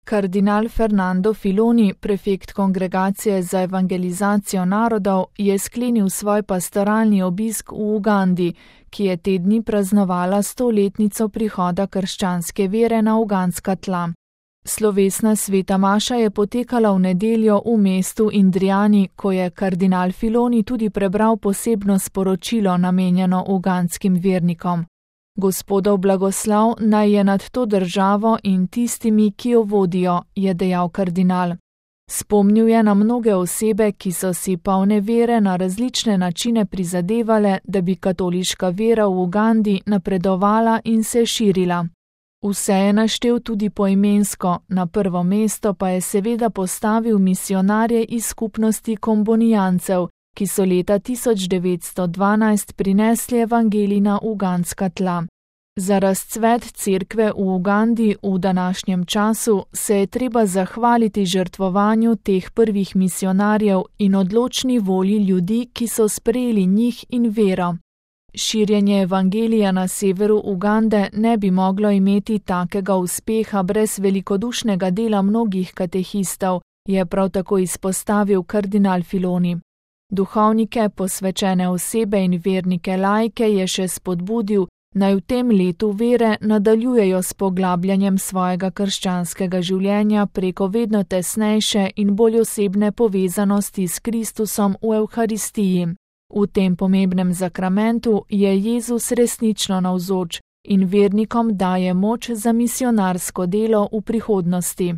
Kardinal Fernando Filoni, prefekt Kongregacije za evangelizacijo narodov, je sklenil svoj pastoralni obisk v Ugandi, ki je te dni praznovala 100-letnico prihoda krščanske vere na ugandska tla. Slovesna sveta maša je potekala v nedeljo v mestu Indriani, ko je kardinal Filoni tudi prebral posebno sporočilo namenjeno ugandskim vernikom. Gospodov blagoslov naj je nad to državo in tistimi, ki jo vodijo, je dejal kardinal. Spomnil je na mnoge osebe, ki so si polne vere na različne načine prizadevale, da bi katoliška vera v Ugandi napredovala in se širila. Vse je naštel tudi poimensko, na prvo mesto pa je seveda postavil misionarje iz skupnosti kombonijancev, ki so leta 1912 prinesli evangelij na ugandska tla. Za razcvet cerkve v Ugandi v današnjem času se je treba zahvaliti žrtvovanju teh prvih misionarjev in odločni volji ljudi, ki so sprejeli njih in vero. Širjenje evangelija na severu Ugande ne bi moglo imeti takega uspeha brez velikodušnega dela mnogih katehistov, je prav tako izpostavil kardinal Filoni. Duhovnike, posvečene osebe in vernike laike je še spodbudil, naj v tem letu vere nadaljujejo s poglabljanjem svojega krščanskega življenja preko vedno tesnejše in bolj osebne povezanosti s Kristusom v Evharistiji. V tem pomembnem zakramentu je Jezus resnično navzoč in vernikom daje moč za misionarsko delo v prihodnosti.